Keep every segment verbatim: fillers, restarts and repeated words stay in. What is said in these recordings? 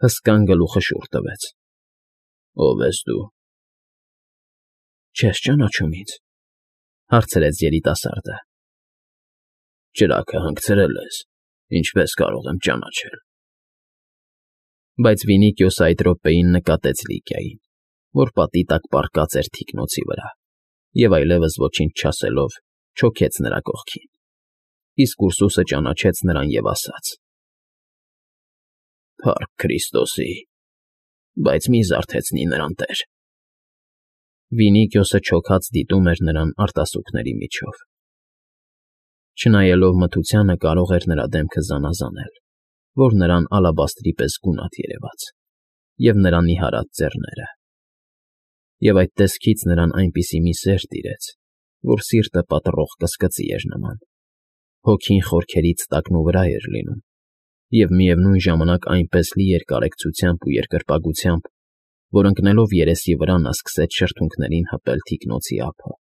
Հսկան գլուխը շուռ տվեց։ Ո՞վ ես դու։ Չե՞ս ճանաչում ինձ,֊ հարցրեց երիտասարդը։ Ճրագը հանգցրել ես, ինչպես կարող եմ ճանաչել։ Բայց Վինիքիոսը այդ րոպեին նկատեց Լիգիային, որ պատի տակ պառկած էր թիկնոցի վրա, և այլևս ոչինչ չասելով, չոքեց նրա կողքին, իսկ Ուրսուսը ճանաչեց նրան և ասաց. Փառք Քրիստոսի, բայց մի զարթեցնի նրան, տեր… Վինիքիոսը չոքած դիտում էր նրան արտասուքների միջով։ Չնայելով մթությանը կարող էր նրա դեմքը զանազանել, որ նրան ալաբաստրի պես գունատ երևաց, և նրա նիհարած ձեռները։ Եվ այդ տեսքից նրան այնպիսի մի սեր տիրեց, որ սիրտը պատռող կսկծի էր նման, հոգին խորքերից տակնուվրա էր լինում, և միևնույն ժամանակ այնպես լի էր կարեկցությամբ ու երկրպագությամբ, որ ընկնելով երեսի վրա նա սկսեց շրթունքներին հպել թիկնոցի ափը,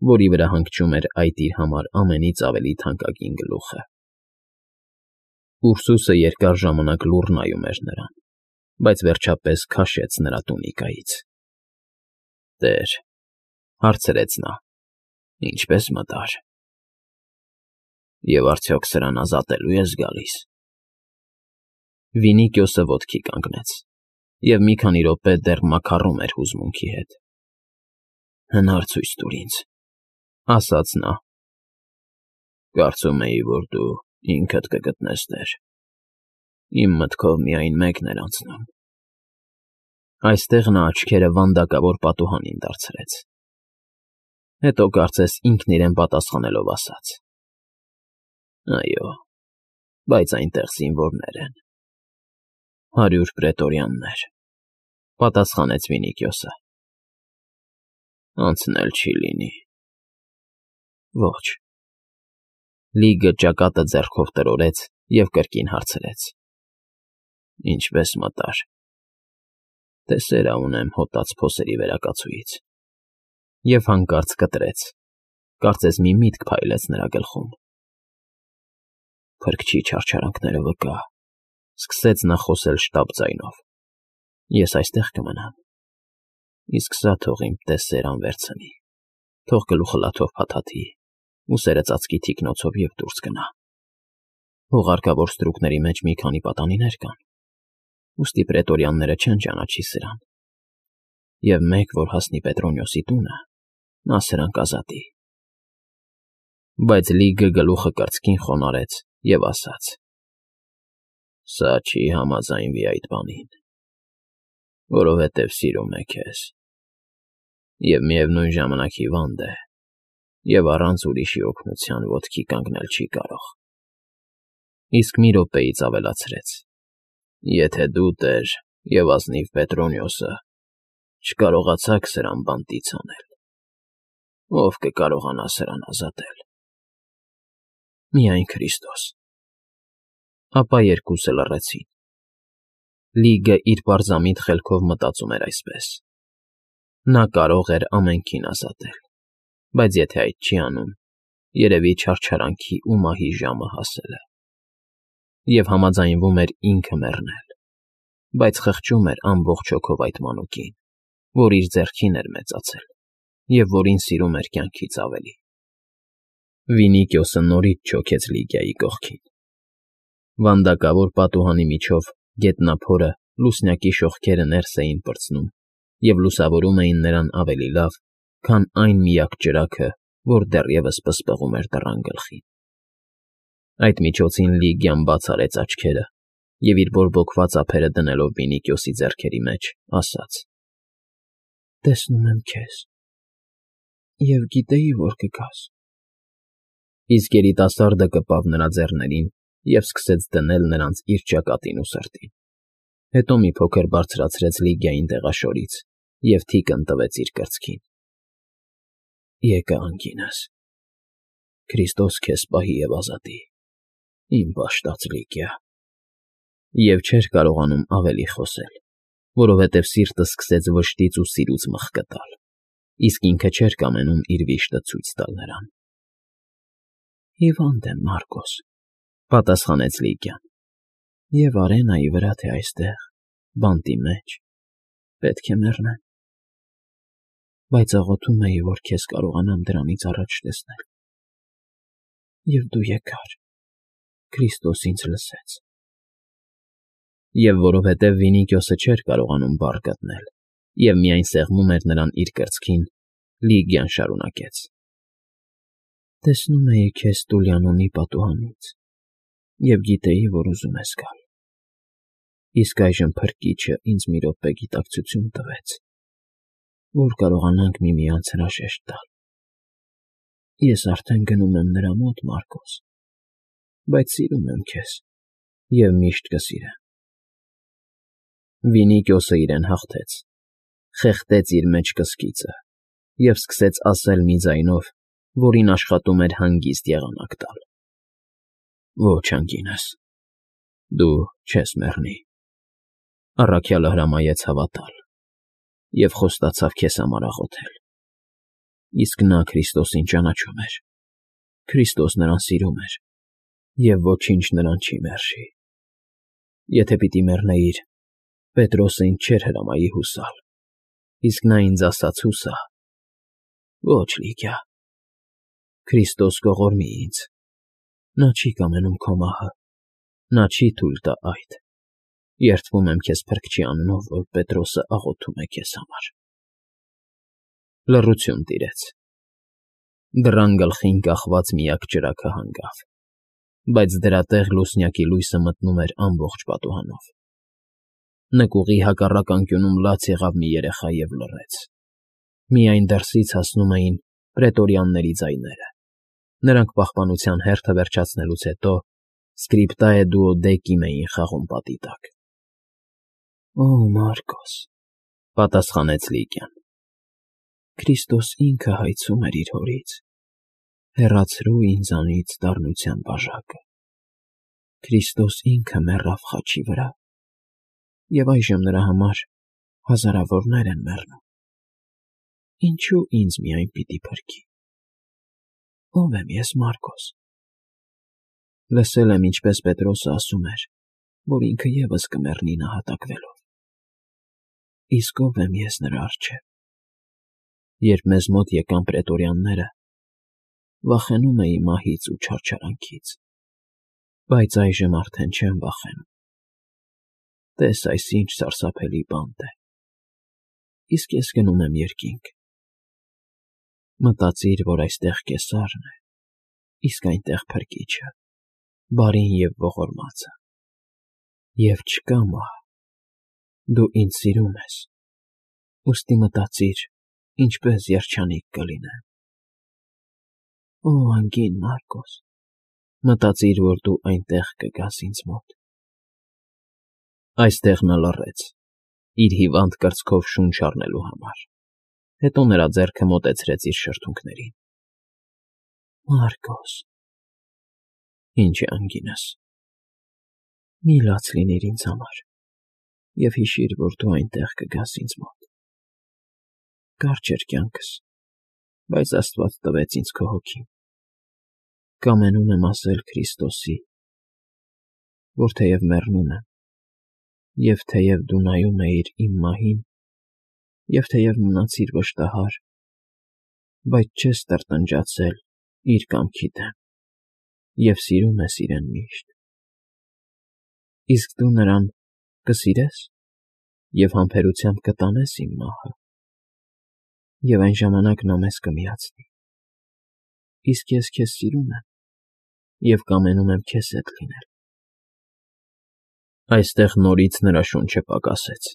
որի վրա հանգչում էր այդ իր համար ամենից ավելի թանկագին գլուխը։ Ուրսուսը երկար ժամանակ լուռ նայում էր նրան, բայց վերջապես քաշեց նրա տունիկայից։ Տեր,֊ հարցրեց նա,֊ ինչպե՞ս մտար… Եվ արդյոք սրան ազատելո՞ւ ես գալիս։ Վինիքիոսը ոտքի կանգնեց և մի քանի րոպե դեռ մաքառում էր հուզմունքի հետ։ Հնար ցույց տուր ինձ,֊ ասաց նա։ Կարծում էի, որ դու ինքդ կգտնես, տեր… Իմ մտքով միայն մեկն էր անցնում… Այստեղ նա աչքերը վանդակավոր պատուհանին դարձրեց, հետո կարծես ինքն իրեն պատասխանելով ասաց. Այո, բայց այնտեղ զինվորներ են… Հարյուր պրետորյաններ,֊ պատասխանեց Վինիքիոսը։ Անցնել չի լինի… Ոչ… Լիգը ճակատը ձեռքով տրորեց և կրկին հարցրեց. Ինչպե՞ս մտար… Դե սերա ունեմ հոտած փոսերի վերակացուից… Եվ հանկարծ կտրեց, կարծես մի միտք փայլեց նրա գլխում։ Փրկչի չարչարանքները վկա,֊ սկսեց նա խոսել շտապ ձայնով,֊ ես այստեղ կմնամ, իսկ սա թող իմ տես֊սեր անվերցնի, թող գլուխը լաթով փաթաթի, ուսերը ծածկի թիկնոցով և դուրս գնա… Հուղարկավոր ստրուկների մեջ մի քանի պատանիներ կան, ուստի պրետորյանները չեն ճանաչի սրան, և մեկ, որ հասնի Պետրոնիոսի տունը, նա սրան կազատի… Բայց Լիգը գլուխը կրծքին խոնարհեց և ասաց. Սա չի համաձայնվի այդ բանին, որովհետև սիրում է քեզ, և միևնույն ժամանակ հիվանդ է, և առանց ուրիշի օգնության ոտքի կանգնել չի կարող… Իսկ մի րոպեից ավելացրեց. Եթե դու, տեր, և ազնիվ Պետրոնիոսը չկարողացաք սրան բանտից հանել, ո՞վ կկարողանա սրան ազատել… Միայն Քրիստոս… Ապա երկուսը լռեցին։ Լիգը իր պարզամիտ խելքով մտածում էր այսպես. նա կարող էր ամենքին ազատել, բայց եթե այդ չի անում, երևի չարչարանքի ու մահի ժամը հասել է… Եվ համաձայնվում էր ինքը մեռնել, բայց խղճում էր ամբողջ հոգով այդ մանուկին, որ իր ձեռքին էր մեծացել և որին սիրում էր կյանքից ավելի… Վինիքիոսը նորից չոքեց Լիգիայի կողքին։ Վանդակավոր պատուհանի միջով գետնափորը լուսնյակի շողքերը ներս էին պրծնում և լուսավորում էին նրան ավելի լավ, քան այն միակ ճրագը, որ դեռևս պսպղում էր դռան գլխին։ Այդ միջոցին Լիգիան բաց արեց աչքերը և իր բորբոքված ափերը դնելով Վինիքիոսի ձեռքերի մեջ, ասաց. Տեսնում եմ քեզ… և գիտեի, որ կգաս… Իսկ երիտասարդը կպավ նրա ձեռներին և սկսեց դնել նրանց իր ճակատին ու սրտին, հետո մի փոքր բարձրացրեց Լիգիային տեղաշորից և թիկն տվեց իր կրծքին. Եկա անգինս… Քրիստոս քեզ պահի և ազատի, իմ բաշտած Լիգիա… Եվ չէր կարողանում ավելի խոսել, որովհետև սիրտը սկսեց վշտից ու սիրուց մղկտալ, իսկ ինքը չէր կամենում իր վիշտը ցույց տալ նրան։ Հիվանդ եմ, Մարկոս,֊ պատասխանեց Լիգիան,֊ և Արենայի վրա, թե այստեղ, բանտի մեջ, պետք է մեռնեմ, բայց աղոթում էի, որ քեզ կարողանամ դրանից առաջ տեսնել։ Եվ դու եկար, Քրիստոս ինձ լսեց։ Եվ որովհետև Վինիկիոսը չէր կարողանում բառ գտնել և միայն սեղմում էր նրան իր կրծքին, Լիգիան շարունակեց. Տեսնում էի քեզ Տուլիանոնի պատուհանից և գիտեի, որ ուզում ես գալ։ Իսկ այժմ Փրկիչը ինձ մի րոպե գիտակցություն տվեց, որ կարողանանք միմյանց հրաժեշտ տալ։ Ես արդեն գնում եմ նրա մոտ, Մարկոս, բայց սիրում եմ քեզ և միշտ կսիրեմ։ Վինիկիոսը իրեն հաղթեց, խեղդեց իր մեջ կսկիծը և սկսեց ասել մի ձայնով, որին աշխատում էր հանգիստ եղանակ տալ. Ոչ, անգինս, դու չես մեռնի։ Առաքյալը հրամայեց հավատալ և խոստացավ քեզ համար աղոթել։ Իսկ նա Քրիստոսին ճանաչում էր, Քրիստոս նրան սիրում էր և ոչինչ նրան չի մերժի։ Եթե պիտի մեռնեիր, Պետրոսը ինձ չէր հրամայի հուսալ, իսկ նա ինձ ասաց հուսա։ Ոչ, Լիգիա, Քրիստոս կողորմի ինձ, նա չի կամենում քո մահը, նա չի թույլ տա այդ։ Երդվում եմ քեզ Փրկչի անունով, որ Պետրոսը աղոթում է քեզ համար։ Լռություն տիրեց։ Դռան գլխին կախված միակ ճրագը հանգավ, բայց դրա տեղ լուսնյակի լույսը մտնում էր ամբողջ պատուհանով։ Նկուղի հակառակ անկյունում լաց եղավ մի երեխա և լռեց։ Միայն դրսից հասնում էին պրետորյանների ձայները։ Նրանք պահպանության հերթը վերջացնելուց հետո Սկրիպտայե Դուոդեկիմ էին խաղում պատի տակ։ Օ, Մարկոս, պատասխանեց Լիգիան, Քրիստոս ինքը հայցում էր իր հորից. հեռացրու ինձանից դառնության բաժակը։ Քրիստոս ինքը մեռավ խաչի վրա, և այժմ նրա համար հազարավորներ են մեռնում։ Ինչու ինձ միայն պիտի փրկի։ Ո՞վ եմ ես, Մարկոս։ Լսել եմ, ինչպես Պետրոսը ասում էր, որ ինքը ևս կմեռնի նահատակվելով։ Իսկ ո՞վ եմ ես նրա առջև։ Երբ մեզ մոտ եկան պրետորյանները, վախենում էի մահից ու չարչարանքից, բայց այժմ արդեն չեմ վախենում։ Տես այս ինչ սարսափելի բանտ է։ Իսկ ես գնում եմ երկինք։ Մտածիր, որ այստեղ Կեսարն է, իսկ այնտեղ Փրկիչը, բարին և ողորմածը։ Եվ չկա մահ։ Դու ինձ սիրում ես, ուստի մտածիր, ինչպես երջանիկ կլինեմ։ Օ, անգին Մարկոս, մտածիր, որ դու այնտեղ կգաս ինձ մոտ։ Այստեղ նա լռեց, իր հիվանդ կրծքով շունչ առնելու համար, հետո նրա ձեռքը մոտեցրեց իր շրթունքներին։ Մարկոս։ Ինչ է, անգինս։ Մի լաց լինիր ինձ համար և հիշիր, որ դու այնտեղ կգաս ինձ մոտ։ Կարճ էր կյանքս, բայց Աստված տվեց ինձ քո հոգին։ Կամենում եմ ասել Քրիստոսի, որ թեև մեռնում եմ, և թեև դու նայում էիր իմ մահին, և թեև մնացիր վշտահար, բայց չես տրտնջացել իր կամքի դեմ և սիրում ես իրեն միշտ։ Իսկ դու նրան կսիրե՞ս և համբերությամբ կտանես իմ մահը, և այն ժամանակ նա մեզ կմիացնի։ Իսկ ես քեզ սիրում եմ և կամենում եմ քեզ հետ լինել։ Այստեղ նորից նրա շունչը պակասեց,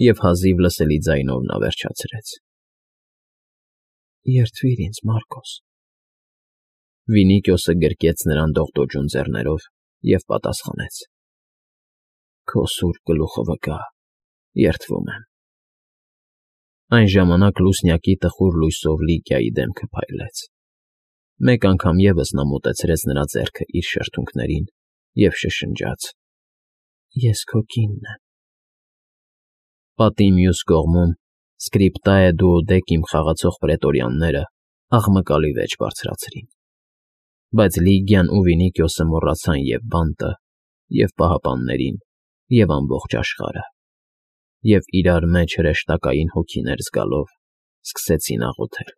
և հազիվ լսելի ձայնով նա վերջացրեց. Երդվիր ինձ, Մարկոս։ Վինիկիոսը գրկեց նրան դողդոջուն ձեռներով և պատասխանեց. Քո սուրբ գլուխը վկա, երդվում եմ։ Այն ժամանակ լուսնյակի տխուր լույսով Լիգիայի դեմքը փայլեց։ Մեկ անգամ ևս նա մոտեցրեց նրա ձեռքը իր շրթունքներին և շշնջաց. Ես քո կինն եմ։ Պատի մյուս կողմում Սկրիպտայե Դուոդեկիմ խաղացող պրետորյանները աղմկալի վեճ բարձրացրին։ Բայց Լիգիան ու Վինիկիոսը մոռացան և բանտը, և պահապաններին, և ամբողջ աշխարհը։ և, իրար մեջ հրեշտակային հոգիներ զգալով, սկսեցին աղոթել։